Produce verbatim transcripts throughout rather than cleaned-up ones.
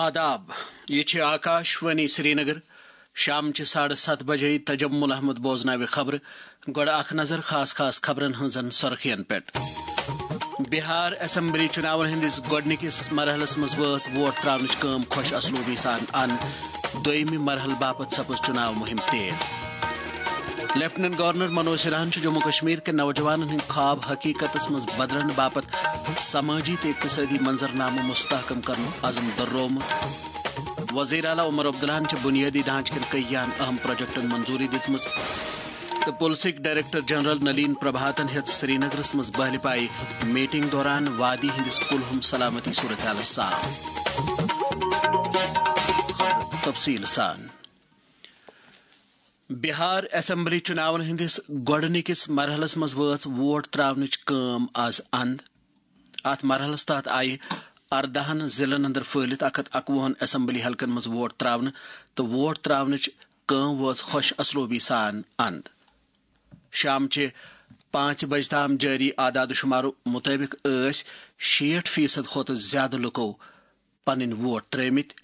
آداب، یہِ چھِ آکاش وانی سرینگر۔ شام چہِ ساڑٕ ستھ بجے تجمل احمد بوزناوِ خبرٕ۔ گۄڈٕ اکھ نظر خاص خاص خبرن ہٕنٛزن سرخین پٮ۪ٹھ۔ بہار اسمبلی چُناون ہٕنٛدِس گۄڈٕنِکِس مرحلس منٛز وٲژ ووٹ تراونٕچ کٲم خۄش اسلوبی سان اند۔ دوٚیمہِ مرحلہٕ باپتھ سپٕز چُناو مُہِم تیز۔ لیفٹیننٹ گورنر منوج سنہاہن چھُ جموں کشمیر کٮ۪ن نوجوانن ہٕنٛدۍ خواب حقیقتس منٛز بدلن باپتھ سمٲجی تہٕ اقتصٲدی منظرنامہٕ مستحکم کرنُک عزم دۄہرومُت۔ وزیر اعلیٰ عمر عبداللہن چھِ بنیٲدی ڈھانچہٕ کٮ۪ن کٔہیاہن اہم پروجیکٹن منظوری دِژمٕژ تہٕ پُلسٕکۍ ڈائریکٹر جنرل نلین پربھاتن ہیٚژ سرینگرس منٛز بہلہِ پایہِ میٹنگ دوران وادی ہٕنٛدِس کُلہُم سلامتی صورتحالس سان تفصیل سان۔ بہار اسمبلی چُناون ہٕنٛدِس گۄڈٕنِکِس مرحلس منٛز وٲژ ووٹ تراونٕچ کٲم از اند۔ اتھ مرحلس تحت آیہِ ارداہن ضلعن اندر پھٔہلِتھ اکھ ہتھ اکوُہن اسمبلی حلقن منٛز ووٹ تراونہٕ تہٕ ووٹ تراونٕچ کٲم وٲژ خۄش اسلوبی سان اند۔ شام چہِ پانٛژِ بجہِ تام جٲری اعداد و شمارو مُطٲبِق ٲسۍ شیٹھ فیصد کھۄتہٕ زیادٕ لُکو پنٕنۍ ووٹ ترٲومٕتۍ۔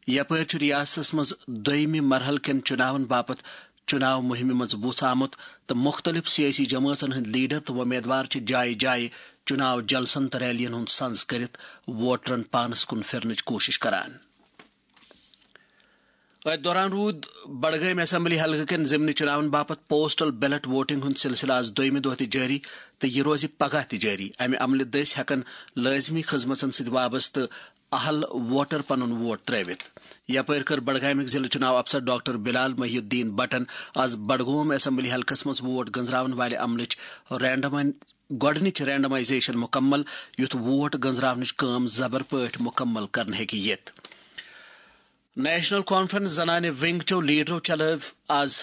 یپٲرۍ چھُ ریاستس منٛز دوٚیمہِ مرحلہٕ کٮ۪ن چُناون باپتھ چُناو مُہِمہِ منٛز وُژھ آمُت تہٕ مُختٔلِف سیٲسی جمٲژن ہٕنٛدۍ لیڈر تہٕ وۄمیدوار چھِ جایہِ جایہِ چُناو جلسن تہٕ ریلین ہُنٛد سنز کٔرِتھ ووٹرن پانس کُن پھِرنٕچ کوٗشش کران۔ أتھۍ دوران روٗد بڈگٲمۍ اسمبلی حلقہٕ کٮ۪ن ضمنی چُناون باپتھ پوسٹل بیلٹ ووٹنگ ہُنٛد سلسلہٕ آز دوٚیمہِ دۄہ تہِ جٲری تہٕ یہِ روزِ پگاہ تہِ جٲری۔ امہِ عملہِ دٔسۍ ہٮ۪کن لٲزمی خدمژن سۭتۍ وابستہٕ اہل ووٹر پنُن ووٹ ترٲوِتھ۔ یپٲرۍ کٔر بڈگامٕکۍ ضلعہٕ چُناو افسر ڈاکٹر بلال محی الدین بٹن آز بڈگوم اسمبلی حلقس منٛز ووٹ گنزراون والہِ عملٕچ رینڈمائن گۄڈٕنِچ رینڈمائزیشن مُکمل، یُتھ ووٹ گنزراونٕچ کٲم زبر پٲٹھۍ مُکمل کرنہٕ ہیٚکہِ یِتھ۔ نیشنل کانفرنس زنانہِ ونگ چو لیڈرو چلٲو آز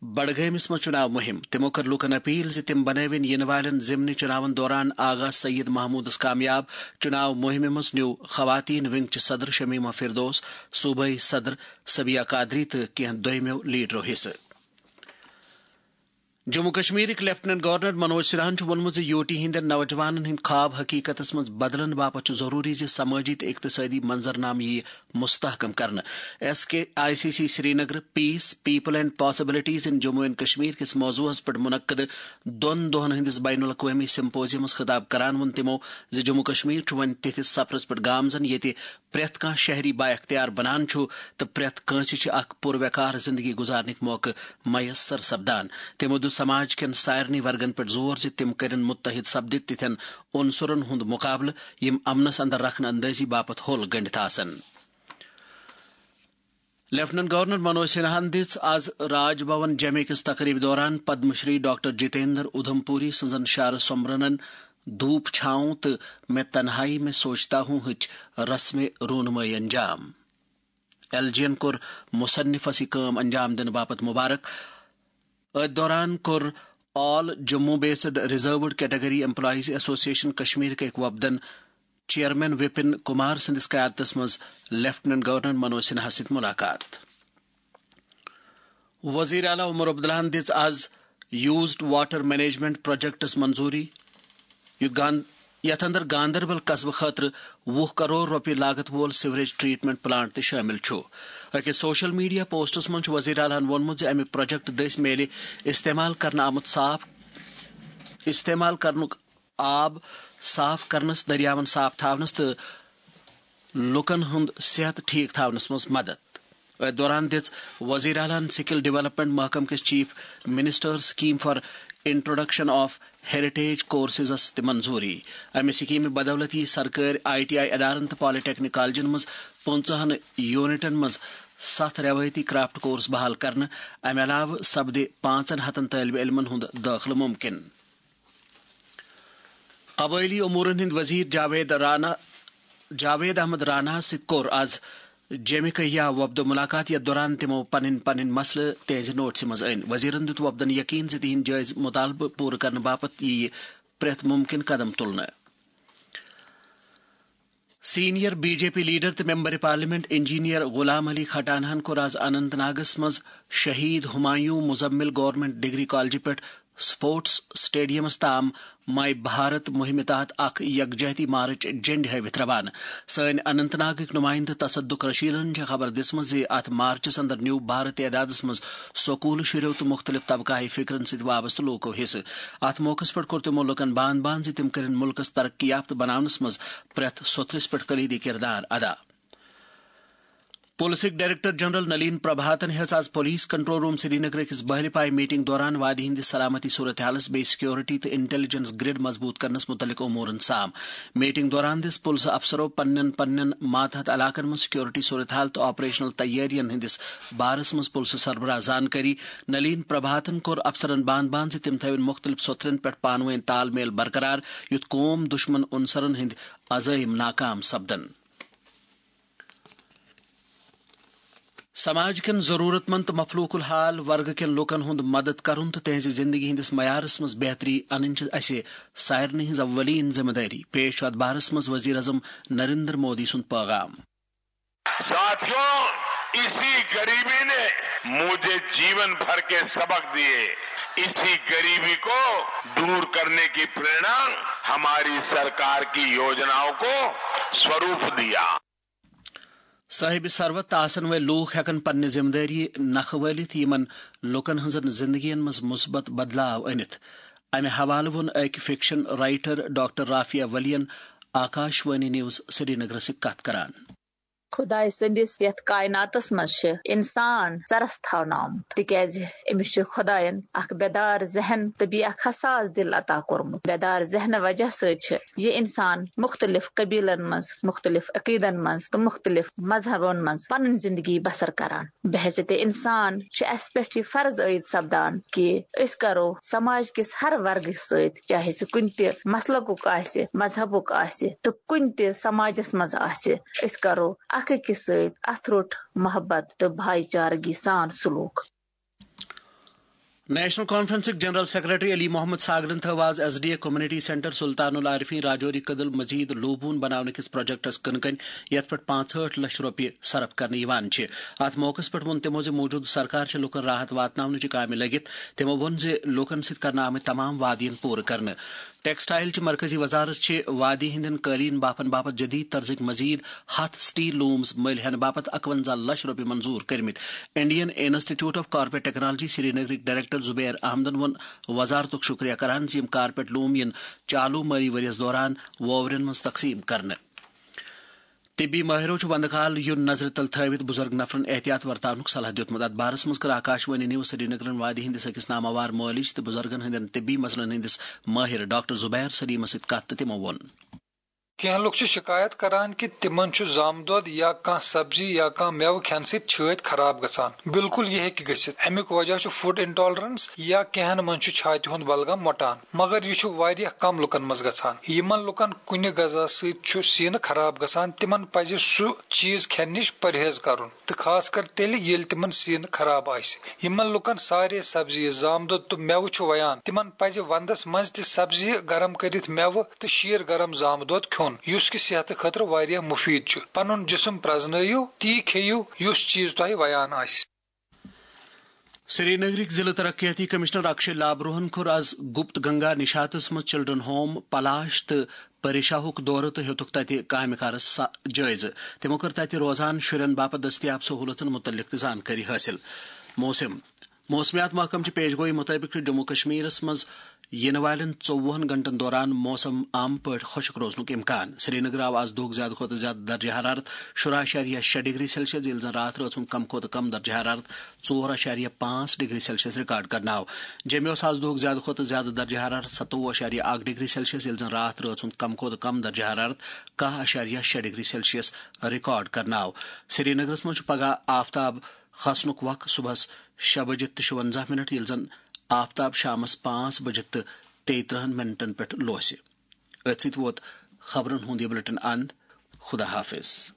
بڈگٲمِس منٛز چُناو مُہِم۔ تِمو کٔر لوٗکن اپیل زِ تِم بنٲوِن یِنہٕ والٮ۪ن ضمنی چُناون دوران آغا سید محمودس کامیاب۔ چُناو مُہِمہِ منٛز نیوٗ خواتین ونگ چہِ صدر شمیمہ فردوس، صوبٲئی صدر صبیہ قادری تہٕ کینٛہہ دوٚیمٮ۪و لیڈرو حصہٕ۔ جموں کشمیرٕکۍ لیفٹیننٹ گورنر منوج سنہاہن چھُ ووٚنمُت زِ یوٗ ٹی ہٕنٛدٮ۪ن نوجوانن ہٕنٛدۍ خواب حقیقتس منٛز بدلن باپتھ چھُ ضروٗری زِ سمٲجی تہٕ اقتصٲدی منظرنامہٕ یِیہِ مستحکم کرنہٕ۔ S K I C C Srinagar, peace, people and possibilities in Jammu and Kashmir کِس موضوعس پٮ۪ٹھ منعقد دۄن دۄہن ہٕنٛدِس بین الاقوٲمی سمپوزیمس خطاب کران ووٚن تِمو زِ جموں کشمیر چھُ وۄنۍ تِتھِس سفرس پٮ۪ٹھ گامزن ییٚتہِ پرٛٮ۪تھ کانٛہہ شہری با اختیار بنان چھُ تہٕ پرٛٮ۪تھ کٲنٛسہِ چھِ اکھ پُر وقار زندگی گُزارنٕکۍ موقعہٕ میسر سپدان۔ تِمو دیُت سماج کٮ۪ن سارنٕے ورگن پٮ۪ٹھ زور زِ تِم کٔرِن متحد سپدِتھ تِتھٮ۪ن عنصرن ہُنٛد مقابلہٕ یِم امنس اندر رخنہٕ اندٲزی باپتھ ہوٚل گٔنڈِتھ آسن۔ لیفٹیننٹ گورنر منوج سنہاہن دِژ آز راج بھون جمعہ کِس تقریبہِ دوران پدم شری ڈاکٹر جتیندر ادھمپوری سٕنٛزن شعر سومبرنن دھوپ چھاؤں تہٕ میں تنہائی میں سوچتا ہوں ہٕچ رسمِ رونمٲیی انجام۔ ایل جی ین کوٚر مصنفس یہِ کٲم انجام دِنہٕ باپتھ مبارک۔ أتھۍ دوران کوٚر all Jammu based reserved category employees association کشمیرٕکۍ أکۍ وفدن چیئرمین وپن کمار سٕنٛدِس قیادتس منٛز لیفٹیننٹ گورنر منوج سنہاہس سۭتۍ ملاقات۔ وزیر اعلیٰ عمر عبداللہن دِژ آز یوزڈ واٹر مینجمنٹ پروجیکٹس منظوری، یُتھ گان-، یتھ اندر گاندربل قصبہٕ خٲطرٕ وُہ کرور رۄپیہِ لاگت وول سیوریج ٹریٹمنٹ پلانٹ تہِ شٲمِل چھُ۔ أکِس سوشل میڈیا پوسٹس منٛز چھُ وزیر اعلیٰ ہن ووٚنمُت زِ امہِ پروجیکٹ دٔسۍ میلہِ استعمال کرنہٕ آمُت صاف، استعمال کرنُک آب صاف کرنس، دٔریاوَن صاف تھاونس تہٕ لوٗکَن ہُنٛد صحت ٹھیک تھاونس منٛز مدد۔ أتھۍ دوران دِژ وزیر اعلیٰ ہَن سکل ڈیولپمنٹ محکمہٕ کِس chief minister scheme for introduction of heritage کورسزس تہِ منظوری۔ امہِ سکیمہِ بدولت یِیہِ سرکٲرۍ آئی ٹی آئی ادارن تہٕ پالی ٹیکنک کالجن منٛز پٕنٛژٕہن یونٹن منٛز ستھ روایتی کرافٹ کورس بحال کرنہٕ۔ امہِ علاوٕ سپدِ پانٛژن ہتن طٲلبہِ علمن ہُنٛد دٲخلہٕ ممکن۔ قبٲئلی امورن ہٕنٛدۍ وزیر جاوید رانا، جاوید احمد راناہَس سۭتۍ کوٚر آز جیمہِ کہیا وفدٕ ملاقات، یَتھ دوران تِمَو پنٕنۍ پنٕنۍ مسلہٕ تِہنٛزِ نوٹسہِ منٛز أنۍ۔ وزیرَن دیُت وفدَن یقین زِ تِہنٛدۍ جٲیزٕ مطالبہٕ پوٗرٕ کرنہٕ باپتھ یِیہِ پرٛٮ۪تھ مُمکِن قدم تُلنہٕ۔ Senior B J P leader تہٕ member parliament engineer Ghulam Ali کھٹانہَن کوٚر آز اننت ناگَس منٛز شہید ہمایوں مزمل گورنمنٹ ڈگری کالجہِ پٮ۪ٹھ سپورٹس اسٹیڈیمس تام ماے بھارت مہمہِ تحت اکھ یکجہتی مارچ جنڈِ ہٲوِتھ روانہٕ۔ سٲنۍ اننت ناگٕکۍ نمائندٕ تصدق رشیدن چھےٚ خبر دِژمٕژ زِ اتھ مارچس اندر نیوٗ بھارت تعدادس منٛز سکوٗلہٕ شُرٮ۪و تہٕ مُختٔلِف طبقہٕ ہاے فکرن سۭتۍ وابستہٕ لوٗکو حصہٕ۔ اتھ موقعس پٮ۪ٹھ کوٚر تِمو لوٗکن باند باند زِ تِم کٔرِن مُلکس ترقی یافتہٕ بناونس منٛز پرٛٮ۪تھ سوٚتھرِس پٮ۪ٹھ کلیدی کردار ادا۔ پُلسٕکۍ ڈائریکٹر جنرل نلین پربھاتن ہیٚژ آز پُلیس کنٹرول روم سرینگر أکِس بہلہِ پایہِ میٹنگ دوران وادی ہٕنٛدِس سلامتی صورتحالس، بیٚیہِ سیکورٹی تہٕ انٹیلیجنس گرڈ مضبوط کرنس مُتعلق امورن سام۔ میٹنگ دوران دِژ پُلسہٕ افسرو پننٮ۪ن پننٮ۪ن ماتحت علاقن منٛز سیکورٹی صورتحال تہٕ آپریشنل تیٲرین ہٕنٛدِس بارس منٛز پُلسہٕ سربراہ زانکٲری۔ نلین پربھاتن کوٚر افسرن باند باند زِ تِم تھٲوِن مُختٔلِف سوٚتھرن پٮ۪ٹھ پانہٕ وٲنۍ تال میل برقرار، یُتھ قوم دُشمن عنصرن ہٕنٛدۍ عزائم ناکام سپدن۔ سماج کٮ۪ن ضروٗرت مند تہٕ مفلوق الحال ورگہٕ کٮ۪ن لوٗکن ہُنٛد مدد کرُن تہٕ تِہنٛزِ زندگی ہٕنٛدِس معیارس منٛز بہتری انٕنۍ چھِ اسہِ سارنٕے ہٕنٛز اولین ذمہٕ دٲری۔ پیش چھُ اتھ بارس منٛز وزیر اعظم نریندر مودی سُنٛد پیغام۔ साथियों, इसी गरीबी ने मुझे जीवन भर के सबक दिए। इसी गरीबी को दूर करने की प्रेरणा हमारी सरकार की योजनाओं को स्वरूप दिया। صٲحِبِ ثروت تہٕ آسن وٲلۍ لوٗکھ ہٮ۪کن پننہِ ذمہٕ دٲری نکھٕ وٲلِتھ یِمن لوٗکن ہٕنٛزن زندگین منٛز مثبت بدلاو أنِتھ۔ امہِ حوالہٕ ووٚن أکۍ فکشن رائٹر ڈاکٹر رافیہ ولی ین آکاش وانی نیوز سرینگرس سۭتۍ کتھ کران۔ خدایہِ سٕنٛدِس یَتھ کائناتس منٛز چھِ انسان سرس تھاونہٕ آمُت، تِکیازِ أمِس چھُ خدایَن اکھ بیدار ذہن تہٕ بیٚیہِ اکھ حساس دِل عطا کوٚرمُت۔ بیدار ذہنہٕ وجہ سۭتۍ چھِ یہِ انسان مُختٔلِف قبیلن منٛز، مُختٔلِف عقیدن منٛز تہٕ مُختٔلِف مذہبن منٛز پنٕنۍ زندگی بسر کران۔ بحیثیت انسان چھُ اسہِ پٮ۪ٹھ یہِ فرض عائد سپدان کہِ أسۍ کرو سماج کِس ہر ورگہٕ سۭتۍ، چاہے سُہ کُنہِ تہِ مسلکُک آسہِ، مذہبُک آسہِ تہٕ کُنہِ تہِ سماجس منٛز آسہِ، أسۍ کرو اکھ أکِس سۭتۍ اَتھٕ روٚٹ محبت تہٕ بھایی چارگی سان سلوک۔ نیشنل کانفرنسٕکۍ جنرل سیکرٹری علی محمد ساگرن تھٲو آز S D A community centre Sultan ul Arifeen Rajouri Kadal مزید لوٗبوُن بناونہٕ کِس پروجیکٹس کٕنہٕ کَنۍ، یَتھ پٮ۪ٹھ پانٛژہٲٹھ لچھ رۄپیہِ صرف کرنہٕ یِوان چھِ۔ اَتھ موقعس پٮ۪ٹھ ووٚن تِمو زِ موٗجوٗدٕ سرکار چھِ لوٗکن راحت واتناونٕچہِ کامہِ لٔگِتھ۔ تِمو ووٚن زِ لوٗکن سۭتۍ کرنہٕ آمٕتۍ تمام وعدٕ یِن پوٗرٕ کرنہٕ۔ ٹیکسٹائل چہِ مرکزی وزارت چھِ وادی ہٕنٛدٮ۪ن قٲلیٖن بافن باپتھ جدید طرزٕکۍ مزید ہتھ سٹیل لومز مٔلۍ ہٮ۪نہٕ باپتھ اکونزہ لچھ رۄپیہِ منظور کٔرمٕتۍ۔ Indian institute of carpet technology سرینگرٕکۍ ڈائریکٹر زبیر احمدن ووٚن وزارتُک شُکریہ کران زِ یِم کارپیٹ لوم یِن چالو مٲلی ؤریَس دوران وورٮ۪ن منٛز تقسیٖم کرنہٕ۔ طبی مٲہرو چھُ وندٕ کال یُن نظرِ تل تھٲوِتھ بُزرگ نفرن احتیاط ورتاونُک صلاح دیُتمُت۔ اتھ بارس منٛز کٔر آکاش وانی نیوز سرینگرن وادی ہٕنٛدِس أکِس ناماوار مٲلِج تہٕ بُزرگن ہٕنٛدٮ۪ن طبی مسلن ہٕنٛدِس مٲہِر ڈاکٹر زبیر سلیمس سۭتۍ کتھ تہٕ تِمو ووٚن۔ کینٛہہ لوٗکھ چھِ شِکایت کران کہِ تِمن چھُ زامہٕ دۄد یا کانٛہہ سبزی یا کانٛہہ مٮ۪وٕ کھٮ۪نہٕ سۭتۍ چھٲتۍ خراب گژھان۔ بالکل یہِ ہیٚکہِ گٔژھِتھ۔ اَمیُک وجہ چھُ فوڈ انٹالرنس یا کینٛہن منٛز چھُ چھاتہِ ہُنٛد بلغم مۄٹان۔ مگر یہِ چھُ واریاہ کم لوٗکن منٛز گژھان۔ یِمن لوٗکن کُنہِ غذا سۭتۍ چھُ سیٖنہٕ خراب گژھان، تِمن پزِ سُہ چیٖز کھٮ۪نہٕ نِش پرہیز کرُن۔ تہٕ خاص کر تیٚلہِ ییٚلہِ تِمن سیٖنہٕ خراب آسہِ۔ یِمن لُکن سارے سبزی، زامہٕ دۄد تہٕ مٮ۪وٕ چھُ ویان، تِمن پزِ ونٛدس منٛز تہِ سبزی گرم کٔرِتھ مٮ۪وٕ تہٕ شیٖر گرم زامہٕ دۄد کھیوٚن، یُس کہِ صحتہٕ خٲطرٕ واریاہ مُفیٖد چھُ۔ پنُن جسم پرٛزنٲیِو، تی کھیٚیِو یُس چیٖز تۄہہِ ویان آسہِ۔ سرینگرٕکۍ ضلع ترقیاتی کمشنر اکشے لابروہن کوٚر آز گپت گنگا نشاتس منٛز چلڈرن ہوم پلاش تہٕ پریشاہُک دورٕ تہٕ ہیوٚتُکھ تتہِ کامہِ کارس سا-، جٲیزٕ۔ تِمو کٔر تتہِ روزان شُرٮ۪ن باپتھ دٔستیاب سہوٗلژن مُتعلق تہِ زانکٲری حٲصِل۔ موسم۔ موسمیات محکمہٕ چہِ پیش گویی مُطٲبِق چھُ جموں کشمیرس منٛز یِنہٕ والٮ۪ن ژوٚوُہن گھنٹن دوران موسم عام پٲٹھۍ خۄشک روزنُک امکان۔ سرینگر آو آز دۄہُک زیادٕ کھۄتہٕ زیادٕ درجہ حرارت شُراہ اَشاریہ شےٚ ڈگری سیلسیس، ییٚلہِ زن راتھ رٲژ ہُنٛد کم کھۄتہٕ کم درجہ حرارت ژور اَشاریہ پانٛژھ ڈگری سیلسیس ریکارڈ کرنہٕ آو۔ جیٚمہِ اوس آز دۄہُک زیادٕ کھۄتہٕ زیادٕ درجہ حرارت ستووُہ اَشاریہ اکھ ڈگری سیلسیس، ییٚلہِ زن راتھ رٲژ ہُنٛد کم کھۄتہٕ کم درجہ حرارت کاہ اَشاریہ شےٚ ڈگری سیلسیس ریکارڈ کرنہٕ آو۔ سرینگرس منٛز چھُ پگہہ آفتاب کھسنُک وق صبحس شےٚ بجہِ تہٕ شُونزاہ منٹ، ییٚلہِ زن آفتاب شامس پانٛژھ بجہِ تہٕ تیٚیہِ ترٕٛہن منٹن پٮ۪ٹھ لوسہِ۔ أتھۍ سۭتۍ ووت خبرن ہُنٛد یہِ بلیٹن اند۔ خدا حافظ۔